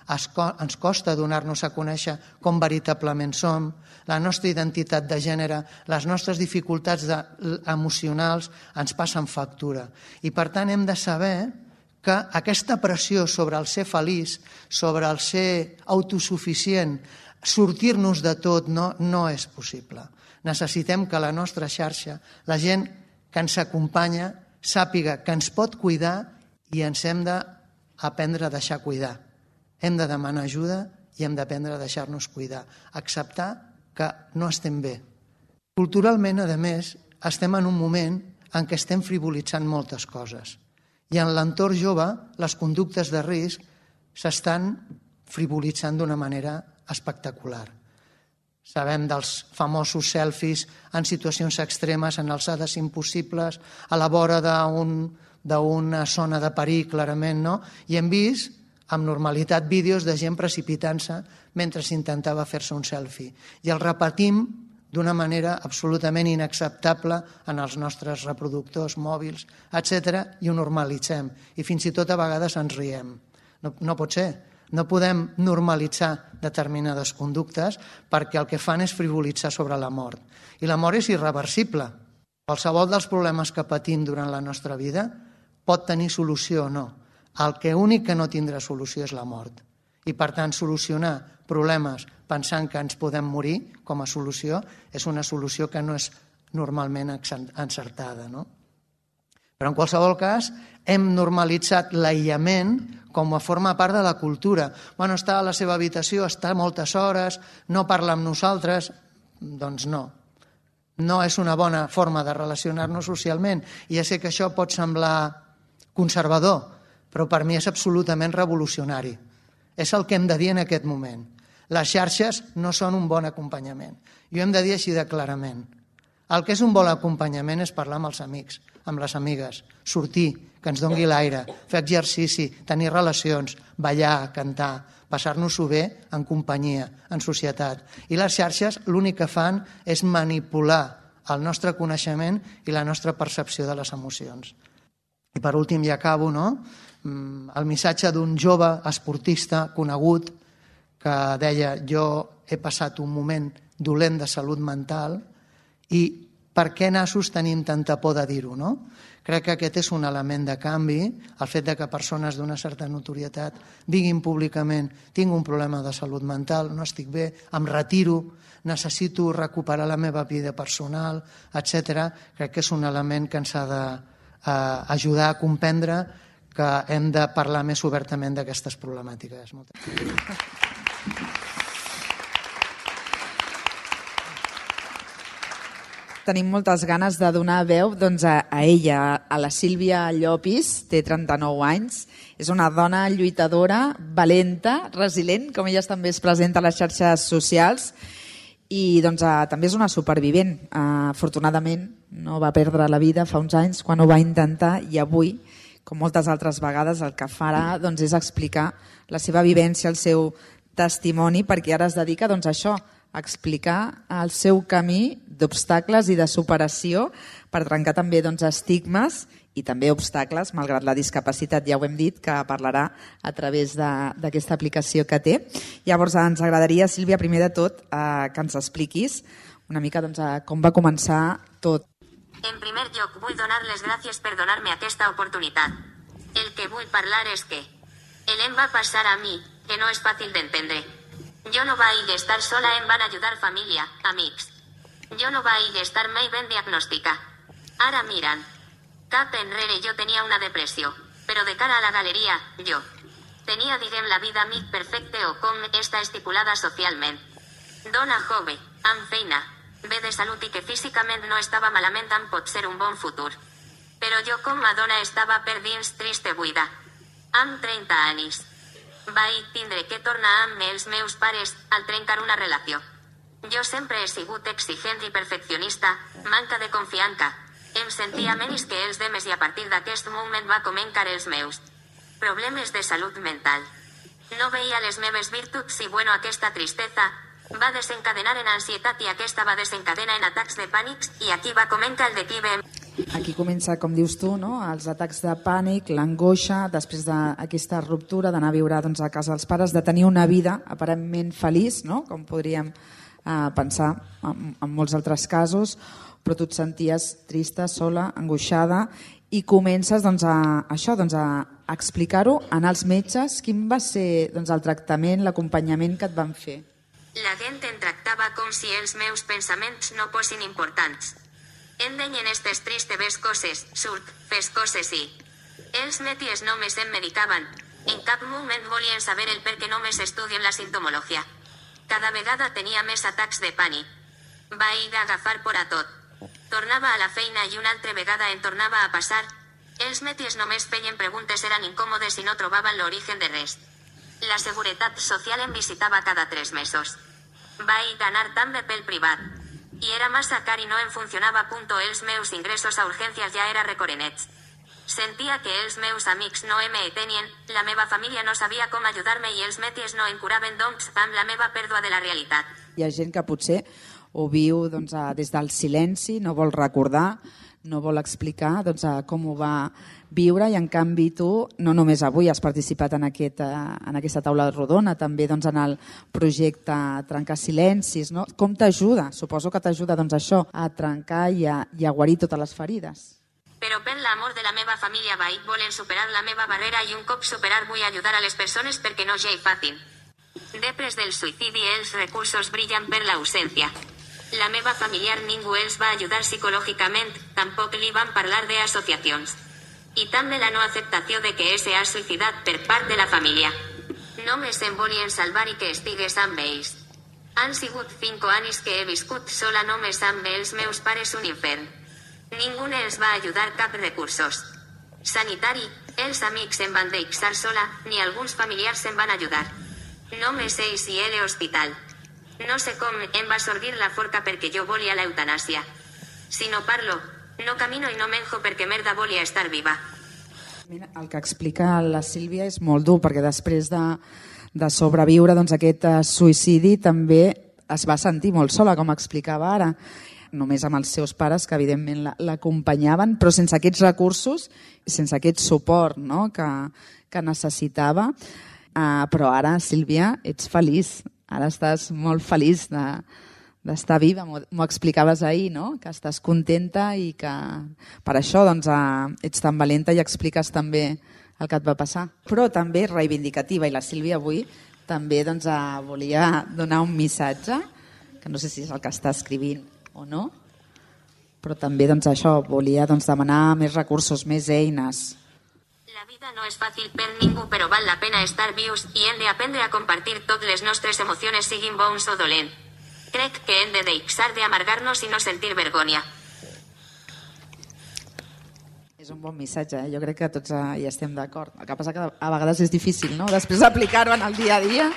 ens costa donar-nos a conèixer com veritablement som, la nostra identitat de gènere, les nostres dificultats emocionals ens passen factura. I per tant hem de saber que aquesta pressió sobre el ser feliç, sobre el ser autosuficient, sortir-nos de tot no, no és possible. Necessitem que la nostra xarxa, la gent que ens acompanya, sàpiga que ens pot cuidar i ens hem d'aprendre a deixar cuidar. Hem de demanar ajuda i hem d'aprendre a deixar-nos cuidar. Acceptar que no estem bé. Culturalment, a més, estem en un moment en què estem frivolitzant moltes coses. I en l'entorn jove, les conductes de risc s'estan frivolitzant d'una manera espectacular. Sabem dels famosos selfies en situacions extremes, en alçades impossibles, a la vora d'una zona de perill, clarament, no? I hem vist, amb normalitat, vídeos de gent precipitant-se mentre s'intentava fer-se un selfie. I el repetim d'una manera absolutament inacceptable en els nostres reproductors mòbils, etcètera, i ho normalitzem. I fins i tot a vegades ens riem. No, no pot ser. No podem normalitzar determinades conductes perquè el que fan és frivolitzar sobre la mort. I la mort és irreversible. Qualsevol dels problemes que patim durant la nostra vida pot tenir solució o no. El que únic que no tindrà solució és la mort. I per tant, solucionar problemes pensant que ens podem morir com a solució és una solució que no és normalment encertada, no? Però en qualsevol cas, hem normalitzat l'aïllament com a forma part de la cultura. Bueno, està a la seva habitació, està moltes hores, no parla amb nosaltres. Doncs no. No és una bona forma de relacionar-nos socialment. I ja sé que això pot semblar conservador, però per mi és absolutament revolucionari. És el que hem de dir en aquest moment. Les xarxes no són un bon acompanyament. I ho hem de dir així de clarament. El que és un bon acompanyament és parlar amb els amics, amb les amigues, sortir, que ens doni l'aire, fer exercici, tenir relacions, ballar, cantar, passar-nos-ho bé en companyia, en societat. I les xarxes l'únic que fan és manipular el nostre coneixement i la nostra percepció de les emocions. I per últim, ja acabo, no? El missatge d'un jove esportista conegut que deia jo he passat un moment dolent de salut mental i per què nassos tenim tanta por de dir-ho, no? Crec que aquest és un element de canvi, el fet que persones d'una certa notorietat diguin públicament tinc un problema de salut mental, no estic bé, em retiro, necessito recuperar la meva vida personal, etcètera. Crec que és un element que ens ha d'ajudar a comprendre que hem de parlar més obertament d'aquestes problemàtiques. Moltes gràcies. Tenim moltes ganes de donar veu doncs, a, a ella, a la Sílvia Llopis, té trenta-nou anys, és una dona lluitadora, valenta, resilient, com ella també es presenta a les xarxes socials, i doncs, a, també és una supervivent. Uh, afortunadament no va perdre la vida fa uns anys quan ho va intentar i avui, com moltes altres vegades, el que farà doncs, és explicar la seva vivència, el seu testimoni, perquè ara es dedica doncs, a això, a explicar el seu camí d'obstacles i de superació per trencar també doncs, estigmes i també obstacles, malgrat la discapacitat, ja ho hem dit, que parlarà a través d'aquesta aplicació que té. Llavors ens agradaria, Sílvia, primer de tot, eh, que ens expliquis una mica doncs, com va començar tot. En primer lloc, vull donar les gràcies per donar-me aquesta oportunitat. El que vull parlar és que el em va passar a mi, que no és fàcil d'entendre. Jo no vaig estar sola, em van ajudar família, amics, Yo no vaig estar mai ben diagnòstica. Ara miran. Cap enrere jo tenia una depressió, però de cara a la galeria, jo tenia, diguem, la vida mig perfecte o com està estipulada socialment. Dona jove, amb feina, bé de salut i que físicament no estava malament amb potser un bon futur. Però jo com a dona estava per dins triste buida. Amb trenta anys. Vaig tindre que tornar amb els meus pares al trencar una relació. Jo sempre he sigut exigent i perfeccionista, manca de confiança. Em sentia menys que els demes i a partir d'aquest moment va començar els meus problemes de salut mental. No veia les meves virtuts i bueno, aquesta tristesa va desencadenar en ansietat i aquesta va desencadenar en atacs de pànics i aquí va començar el declive. Aquí comença, com dius tu, no? Els atacs de pànic, l'angoixa, després d'aquesta ruptura, d'anar a viure doncs, a casa dels pares, de tenir una vida aparentment feliç, no? Com podríem eh, pensar en, en molts altres casos, però tu et senties trista, sola, angoixada, i comences doncs, a, això, doncs, a explicar-ho, anar als metges. Quin va ser doncs, el tractament, l'acompanyament que et van fer? La gent em tractava com si els meus pensaments no fossin importants. Em deien estes tristes coses, surt, fes coses i... Els metis només em medicaven. En cap moment volien saber el per què només estudien la sintomologia. Cada vegada tenia més atacs de pànic. Vaig agafar por a tot. Tornava a la feina i una altra vegada em tornava a passar. Els metis només feien preguntes, eren incòmodes i no trobaven l'origen de res. La Seguretat Social em visitava cada tres mesos. Vaig anar també pel privat. I era massa car i no em funcionava. Punto. Els meus ingressos a urgències ja era recorrenets. Sentia que els meus amics no em tenien, la meva família no sabia com ajudar-me i els metis no em curaven, doncs, amb la meva pèrdua de la realitat. Hi ha gent que potser ho viu doncs, des del silenci, no vol recordar, no vol explicar doncs, com ho va viure i en canvi tu no només avui has participat en, aquest, en aquesta taula rodona, també doncs, en el projecte Trencar Silencis. No? Com t'ajuda? Suposo que t'ajuda doncs, això a trencar i a, i a guarir totes les ferides. Però per l'amor de la meva família vaig voler superar la meva barrera i un cop superar vull ajudar a les persones perquè no sigui fàcil. Després del suïcidi els recursos brillen per l'ausència. La meva familiar ningú els va ajudar psicològicament, tampoc li van parlar d'associacions. I també la no acceptació de que s'ha suïcidat per part de la família. Només em volien salvar i que estigués amb ells. Han sigut cinc anys que he viscut sola només amb els meus pares un infern. Ningú els va ajudar cap recursos. Sanitari, els amics em van deixar sola, ni alguns familiars em van ajudar. Només ells i el hospital. No sé com em va sorgir la forca perquè jo volia l'eutanàsia. Si no parlo, no camino i no menjo perquè merda volia estar viva. El que explica la Sílvia és molt dur perquè després de, de sobreviure doncs, aquest suïcidi també es va sentir molt sola, com explicava ara. Només amb els seus pares, que evidentment l'acompanyaven, però sense aquests recursos, sense aquest suport no? que, que necessitava. Uh, però ara, Sílvia, ets feliç. Ara estàs molt feliç de, d'estar viva. M'ho explicaves ahir, no? Que estàs contenta i que per això doncs, uh, ets tan valenta i expliques també el que et va passar. Però també reivindicativa, i la Sílvia avui també doncs, uh, volia donar un missatge, que no sé si és el que està escrivint o no, però també doncs, això volia doncs, demanar més recursos, més eines. La vida no és fàcil per ningú, però val la pena estar vius i hem d'aprendre a compartir totes les nostres emocions, siguin bons o dolents. Crec que hem de deixar d'amargar-nos i no sentir vergonya. És un bon missatge, eh? Jo crec que tots hi estem d'acord. El que passa que a vegades és difícil, no? Després d'aplicar-ho en el dia a dia.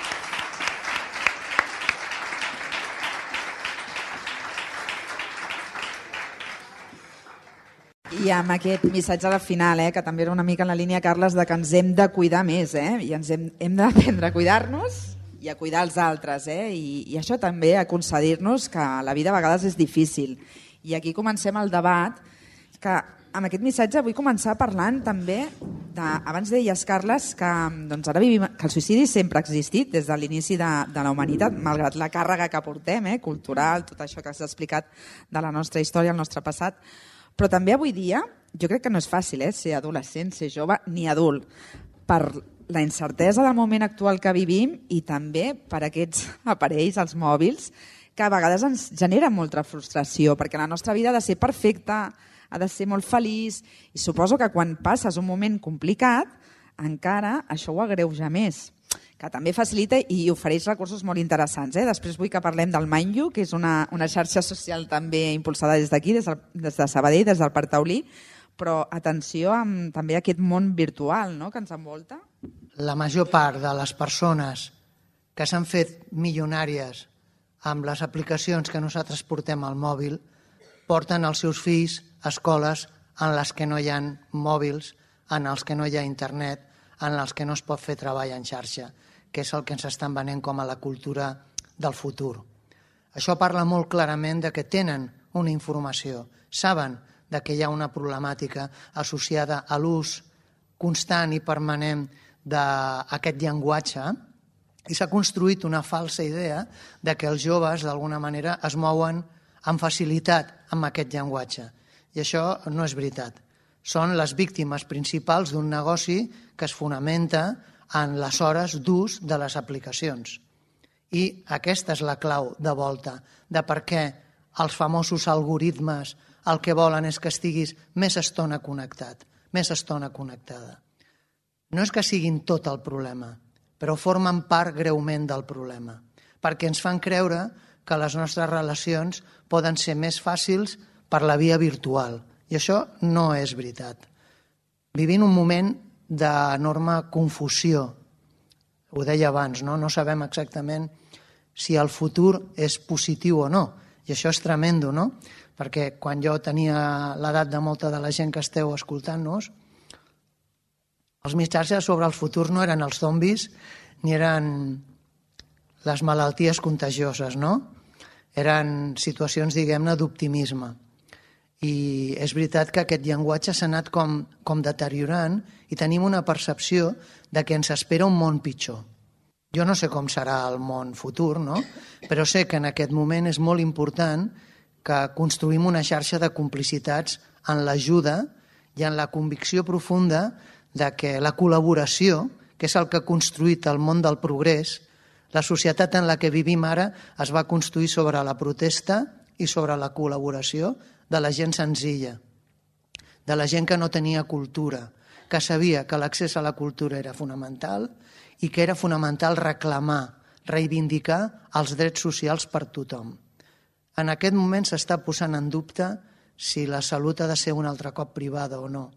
I amb aquest missatge al final, eh, que també era una mica en la línia, Carles, de que ens hem de cuidar més, eh? I ens hem, hem d'aprendre a cuidar-nos i a cuidar els altres, eh? I, i això també, a concedir-nos que la vida a vegades és difícil. I aquí comencem el debat, que amb aquest missatge vull començar parlant també, de, abans deies, Carles, que, doncs ara vivim, que el suïcidi sempre ha existit des de l'inici de, de la humanitat, malgrat la càrrega que portem, eh, cultural, tot això que s'ha explicat de la nostra història, el nostre passat. Però també avui dia, jo crec que no és fàcil eh, ser adolescent, ser jove, ni adult, per la incertesa del moment actual que vivim i també per aquests aparells, els mòbils, que a vegades ens genera molta frustració, perquè la nostra vida ha de ser perfecta, ha de ser molt feliç, i suposo que quan passes un moment complicat, encara això ho agreuja més, que també facilita i ofereix recursos molt interessants. Eh? Després vull que parlem del Mind You, que és una, una xarxa social també impulsada des d'aquí, des, des de Sabadell, des del Parc Taulí, però atenció amb també aquest món virtual, no?, que ens envolta. La major part de les persones que s'han fet milionàries amb les aplicacions que nosaltres portem al mòbil porten els seus fills a escoles en les que no hi ha mòbils, en els que no hi ha internet, en els que no es pot fer treball en xarxa, que és el que ens estan venent com a la cultura del futur. Això parla molt clarament de que tenen una informació, saben de que hi ha una problemàtica associada a l'ús constant i permanent d'aquest llenguatge, i s'ha construït una falsa idea de que els joves d'alguna manera es mouen amb facilitat amb aquest llenguatge. I això no és veritat. Són les víctimes principals d'un negoci que es fonamenta en les hores d'ús de les aplicacions. I aquesta és la clau de volta de per què els famosos algoritmes el que volen és que estiguis més estona connectat, més estona connectada. No és que siguin tot el problema, però formen part greument del problema, perquè ens fan creure que les nostres relacions poden ser més fàcils per la via virtual, i això no és veritat. Vivim un moment d'enorme confusió, ho deia abans, no? No sabem exactament si el futur és positiu o no, i això és tremendo, no? Perquè quan jo tenia l'edat de molta de la gent que esteu escoltant-nos, els missatges sobre el futur no eren els zombis ni eren les malalties contagioses, no? Eren situacions, diguem-ne, d'optimisme. I és veritat que aquest llenguatge s'ha anat com, com deteriorant i tenim una percepció de que ens espera un món pitjor. Jo no sé com serà el món futur, no? Però sé que en aquest moment és molt important que construïm una xarxa de complicitats en l'ajuda i en la convicció profunda de que la col·laboració, que és el que ha construït el món del progrés, la societat en la que vivim ara es va construir sobre la protesta i sobre la col·laboració de la gent senzilla, de la gent que no tenia cultura, que sabia que l'accés a la cultura era fonamental i que era fonamental reclamar, reivindicar els drets socials per tothom. En aquest moment s'està posant en dubte si la salut ha de ser un altre cop privada o no.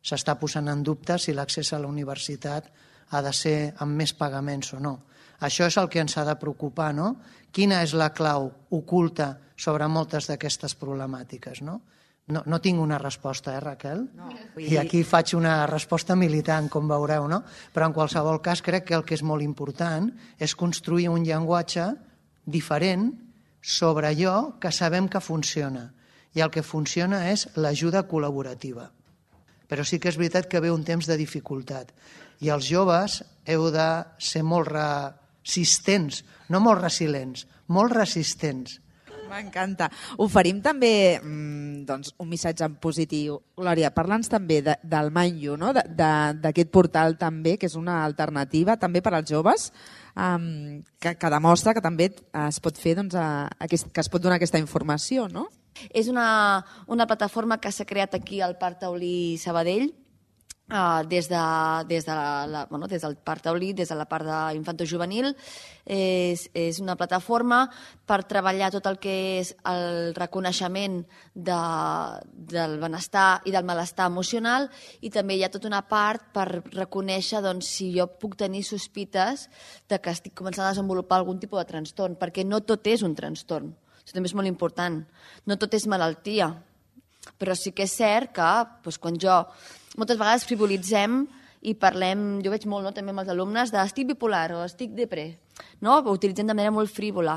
S'està posant en dubte si l'accés a la universitat ha de ser amb més pagaments o no. Això és el que ens ha de preocupar, no? Quina és la clau oculta sobre moltes d'aquestes problemàtiques, no? No, no tinc una resposta, eh, Raquel? No. I aquí faig una resposta militant, com veureu, no? Però en qualsevol cas crec que el que és molt important és construir un llenguatge diferent sobre allò que sabem que funciona. I el que funciona és l'ajuda col·laborativa. Però sí que és veritat que ve un temps de dificultat. I els joves heu de ser molt resistents, no molt resilients, molt resistents. M'encanta. Oferim també doncs, un missatge en positiu. Glòria, parla'ns també de, del Mind You, no? d'aquest portal també, que és una alternativa també per als joves, um, que, que demostra que també es pot fer, doncs, a, aquest, que es pot donar aquesta informació, no? És una, una plataforma que s'ha creat aquí al Parc Taulí Sabadell, Uh, des, de, des, de la, la, bueno, des del Parc Taulí, des de la part d'infantojuvenil. És, és una plataforma per treballar tot el que és el reconeixement de, del benestar i del malestar emocional, i també hi ha tota una part per reconèixer doncs, si jo puc tenir sospites de que estic començant a desenvolupar algun tipus de trastorn, perquè no tot és un trastorn. Això també és molt important. No tot és malaltia, però sí que és cert que doncs, quan jo moltes vegades frivolitzem i parlem, jo veig molt no, també amb els alumnes, de estic bipolar o estic depre, no? Ho utilitzem de manera molt frívola.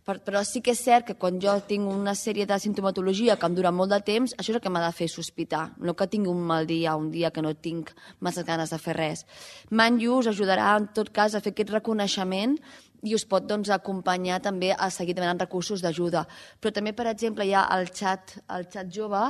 Per, però sí que és cert que quan jo tinc una sèrie de sintomatologia que em dura molt de temps, això és el que m'ha de fer sospitar, no que tingui un mal dia, un dia que no tinc massa ganes de fer res. Mind You us ajudarà en tot cas a fer aquest reconeixement i us pot doncs, acompanyar també a seguir demanant recursos d'ajuda. Però també, per exemple, hi ha el xat, el xat jove,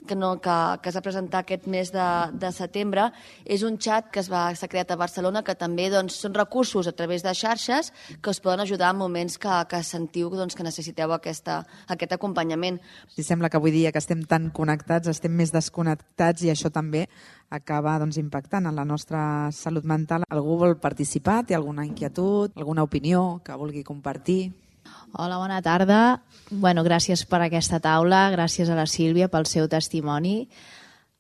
que, no, que, que es va presentar aquest mes de, de setembre, és un xat que s'ha creat a Barcelona, que també doncs, són recursos a través de xarxes que us poden ajudar en moments que, que sentiu doncs, que necessiteu aquesta, aquest acompanyament. Si sembla que avui dia que estem tan connectats, estem més desconnectats i això també acaba doncs, impactant en la nostra salut mental. Algú vol participar? Té alguna inquietud, alguna opinió que vulgui compartir? Hola, bona tarda. Bueno, gràcies per aquesta taula, gràcies a la Sílvia pel seu testimoni.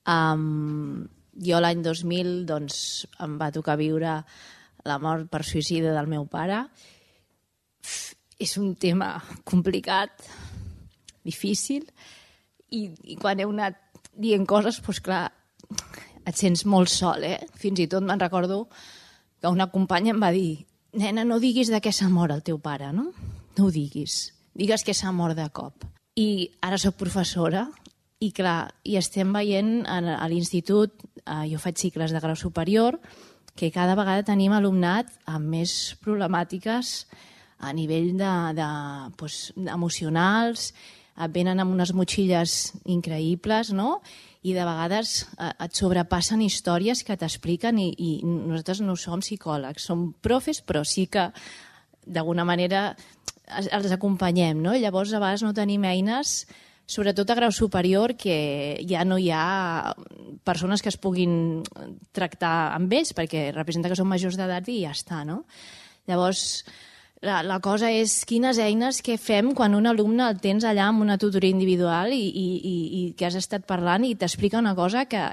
Um, jo l'any dos mil doncs, em va tocar viure la mort per suïcidi del meu pare. És un tema complicat, difícil, i, i quan heu anat dient coses, doncs clar, et sents molt sol, eh? Fins i tot me'n recordo que una companya em va dir: nena, no diguis de què s'ha mort el teu pare, no? No ho diguis. Digues que s'ha mort de cop. I ara soc professora i, clar, i estem veient a l'institut, eh, jo faig cicles de grau superior, que cada vegada tenim alumnat amb més problemàtiques a nivell de, de, doncs, emocionals, venen amb unes motxilles increïbles, no? I de vegades et sobrepassen històries que t'expliquen i, i nosaltres no som psicòlegs, som profes, però sí que d'alguna manera els acompanyem, no? Llavors a vegades no tenim eines, sobretot a grau superior, que ja no hi ha persones que es puguin tractar amb ells, perquè representa que són majors d'edat i ja està, no? Llavors, La, la cosa és quines eines que fem quan un alumne el tens allà amb una tutoria individual i, i, i, i que has estat parlant i t'explica una cosa que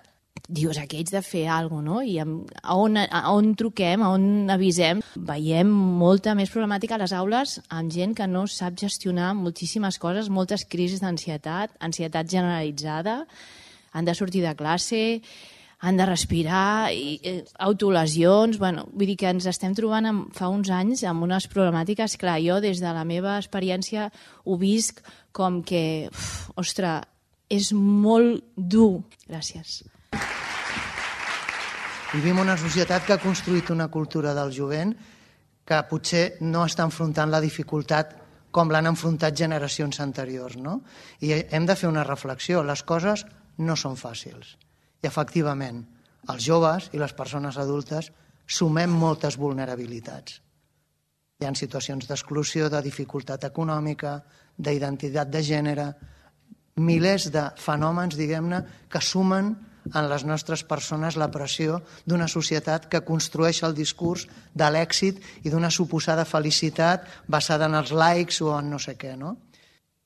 dius, aquí haig de fer alguna cosa, no? I amb, a, on, a on truquem, a on avisem. Veiem molta més problemàtica a les aules amb gent que no sap gestionar moltíssimes coses, moltes crisis d'ansietat, ansietat generalitzada, han de sortir de classe, han de respirar, i, eh, autolesions, bueno, vull dir que ens estem trobant amb, fa uns anys amb unes problemàtiques, clar, jo des de la meva experiència ho visc com que, uf, ostres, és molt dur. Gràcies. Vivim una societat que ha construït una cultura del jovent que potser no està enfrontant la dificultat com l'han enfrontat generacions anteriors, no? I hem de fer una reflexió. Les coses no són fàcils. I, efectivament, els joves i les persones adultes sumem moltes vulnerabilitats. Hi ha situacions d'exclusió, de dificultat econòmica, d'identitat de gènere, milers de fenòmens, diguem-ne, que sumen en les nostres persones la pressió d'una societat que construeix el discurs de l'èxit i d'una suposada felicitat basada en els likes o en no sé què, no?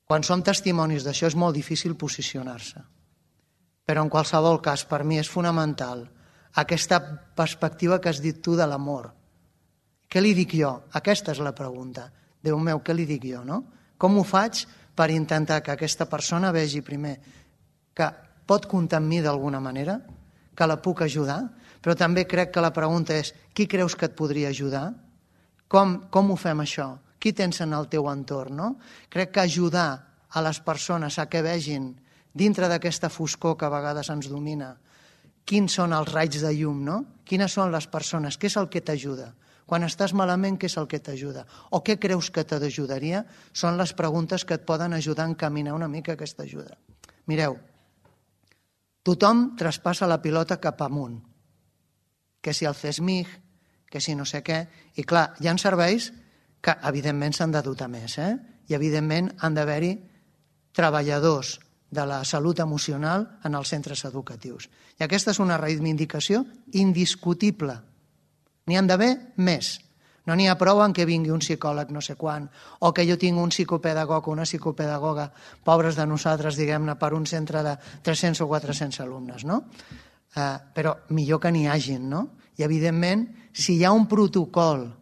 Quan som testimonis d'això és molt difícil posicionar-se. Però en qualsevol cas, per mi és fonamental aquesta perspectiva que has dit tu de l'amor. Què li dic jo? Aquesta és la pregunta. Déu meu, què li dic jo, no? Com ho faig per intentar que aquesta persona vegi primer que pot comptar amb mi d'alguna manera, que la puc ajudar, però també crec que la pregunta és qui creus que et podria ajudar? Com, com ho fem això? Qui tens en el teu entorn, no? Crec que ajudar a les persones a que vegin dintre d'aquesta foscor que a vegades ens domina, quins són els raigs de llum, no? Quines són les persones? Què és el que t'ajuda? Quan estàs malament, què és el que t'ajuda? O què creus que t'ajudaria? Són les preguntes que et poden ajudar a encaminar una mica aquesta ajuda. Mireu, tothom traspassa la pilota cap amunt. Que si el CESMIG, que si no sé què... I clar, hi ha serveis que evidentment s'han de dotar més, eh? I evidentment han d'haver-hi treballadors de la salut emocional en els centres educatius. I aquesta és una reivindicació indiscutible. N'hi han d'haver més. No n'hi ha prou en què vingui un psicòleg no sé quan, o que jo tinc un psicopedagog o una psicopedagoga, pobres de nosaltres, diguem-ne, per un centre de tres-cents o quatre-cents alumnes, no? Eh, però millor que n'hi hagin, no? I, evidentment, si hi ha un protocol,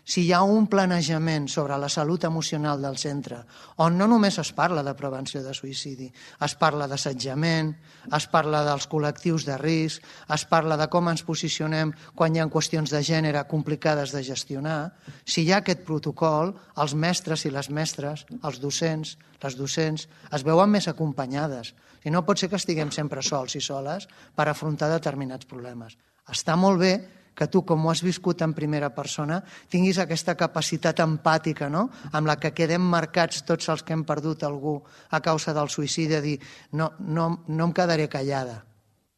si hi ha un planejament sobre la salut emocional del centre, on no només es parla de prevenció de suïcidi, es parla d'assetjament, es parla dels col·lectius de risc, es parla de com ens posicionem quan hi ha qüestions de gènere complicades de gestionar, si hi ha aquest protocol, els mestres i les mestres, els docents, les docents, es veuen més acompanyades. I no pot ser que estiguem sempre sols i soles per afrontar determinats problemes. Està molt bé que tu, com ho has viscut en primera persona, tinguis aquesta capacitat empàtica, no?, amb la que quedem marcats tots els que hem perdut algú a causa del suïcidi, de dir, no, no, no em quedaré callada,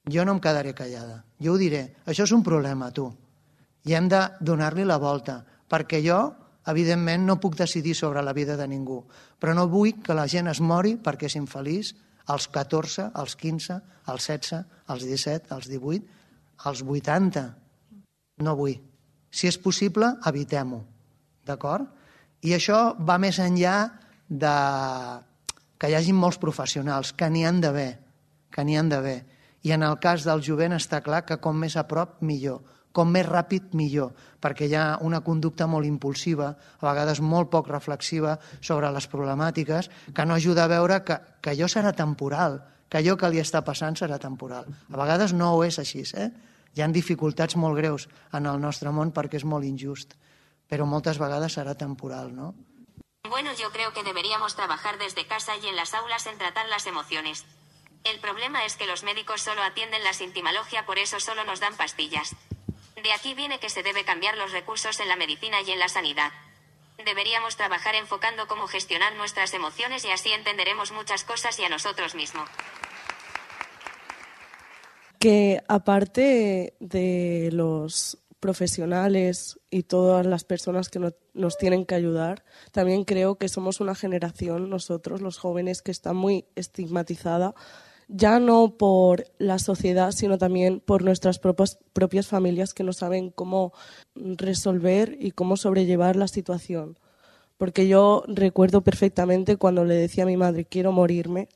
jo no em quedaré callada, jo ho diré, això és un problema, tu, i hem de donar-li la volta, perquè jo, evidentment, no puc decidir sobre la vida de ningú, però no vull que la gent es mori perquè és infeliç als catorze, als quinze, als setze, als disset, als divuit, als vuitanta. No vull. Si és possible, evitem-ho. D'acord? I això va més enllà de que hi hagi molts professionals, que n'hi han d'haver, que n'hi han d'haver. I en el cas del jovent està clar que com més a prop, millor. Com més ràpid, millor, perquè hi ha una conducta molt impulsiva, a vegades molt poc reflexiva sobre les problemàtiques, que no ajuda a veure que, que allò serà temporal, que allò que li està passant serà temporal. A vegades no ho és així, eh? Hi ha dificultats molt greus en el nostre món perquè és molt injust, però moltes vegades serà temporal, ¿no? Bueno, yo creo que deberíamos trabajar desde casa y en las aulas en tratar las emociones. El problema es que los médicos solo atienden la sintimología, por eso solo nos dan pastillas. De aquí viene que se debe cambiar los recursos en la medicina y en la sanidad. Deberíamos trabajar enfocando cómo gestionar nuestras emociones y así entenderemos muchas cosas y a nosotros mismos. Que aparte de los profesionales y todas las personas que no, nos tienen que ayudar, también creo que somos una generación, nosotros, los jóvenes, que está muy estigmatizada, ya no por la sociedad, sino también por nuestras propias, propias familias que no saben cómo resolver y cómo sobrellevar la situación. Porque yo recuerdo perfectamente cuando le decía a mi madre, quiero morirme,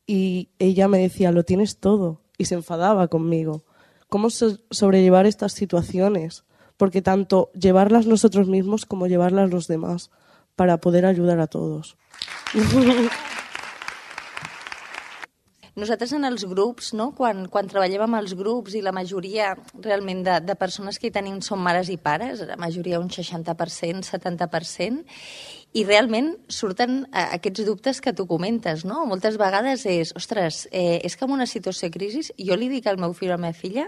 y ella me decía, lo tienes todo, y se enfadaba conmigo. ¿Cómo so- sobrellevar estas situaciones? Porque tanto llevarlas nosotros mismos como llevarlas los demás, para poder ayudar a todos. Nosaltres en els grups, no? quan, quan treballem amb els grups i la majoria realment de, de persones que hi tenim són mares i pares, la majoria un seixanta per cent, setanta per cent, i realment surten eh, aquests dubtes que tu comentes, no? Moltes vegades és, ostres, eh, és que en una situació de crisi jo li dic al meu fill o a la meva filla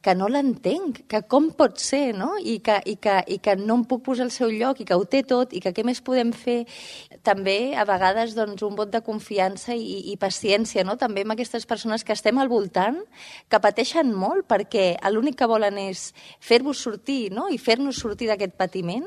que no l'entenc, que com pot ser, no? I que, i, que, i que no em puc posar al seu lloc i que ho té tot i que què més podem fer. També, a vegades, doncs, un vot de confiança i, i paciència, no? També amb aquestes persones que estem al voltant, que pateixen molt perquè l'únic que volen és fer-vos sortir, no? I fer-nos sortir d'aquest patiment,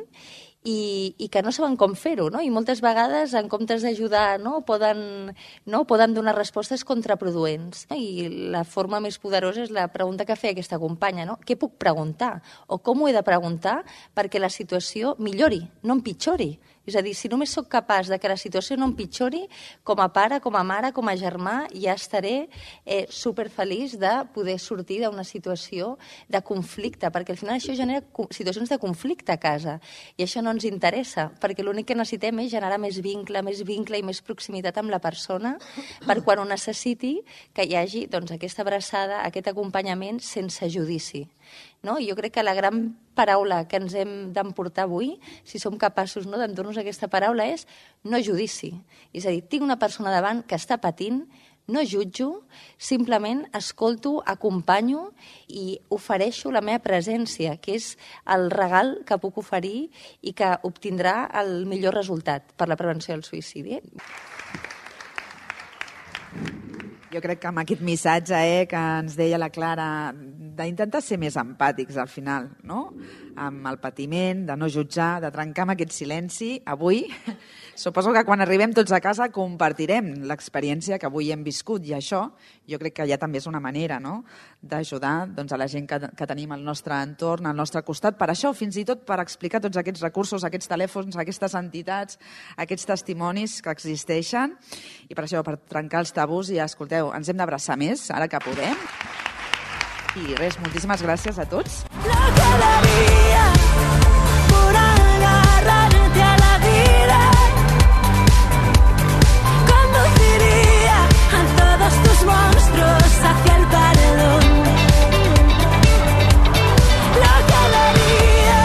i, i que no saben com fer-ho, no? I moltes vegades, en comptes d'ajudar, no? Poden, no? Poden donar respostes contraproduents. No? I la forma més poderosa és la pregunta que feia aquesta companya, no? Què puc preguntar? O com ho he de preguntar perquè la situació millori, no empitjori? És a dir, si només sóc capaç de que la situació no empitjori, com a pare, com a mare, com a germà, ja estaré eh, superfeliç de poder sortir d'una situació de conflicte, perquè al final això genera situacions de conflicte a casa, i això no ens interessa, perquè l'únic que necessitem és generar més vincle, més vincle i més proximitat amb la persona, per quan ho necessiti, que hi hagi doncs, aquesta abraçada, aquest acompanyament sense judici. No? Jo crec que la gran paraula que ens hem d'emportar avui, si som capaços, no, d'endur-nos aquesta paraula, és no judici. És a dir, tinc una persona davant que està patint, no jutjo, simplement escolto, acompanyo i ofereixo la meva presència, que és el regal que puc oferir i que obtindrà el millor resultat per la prevenció del suïcidi. Jo crec que amb aquest missatge eh, que ens deia la Clara, d'intentar ser més empàtics al final, no? Amb el patiment, de no jutjar, de trencar amb aquest silenci, avui suposo que quan arribem tots a casa compartirem l'experiència que avui hem viscut, i això jo crec que ja també és una manera, no?, d'ajudar doncs, a la gent que, que tenim al nostre entorn, al nostre costat. Per això, fins i tot per explicar tots aquests recursos, aquests telèfons, aquestes entitats, aquests testimonis que existeixen, i per això, per trencar els tabús, i escolteu, ens hem d'abraçar més, ara que podem. I res, moltíssimes gràcies a tots. Lo que daría por agarrarte a la vida, conduciría a todos tus monstruos hacia el perdón. Lo que daría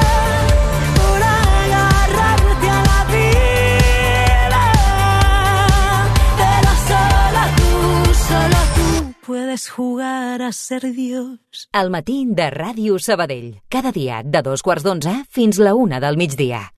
por agarrarte a la vida, pero solo tú, solo tú puedes jugar a ser Dios. Al matí de Ràdio Sabadell. Cada dia de dos quarts d'onze fins la una del migdia.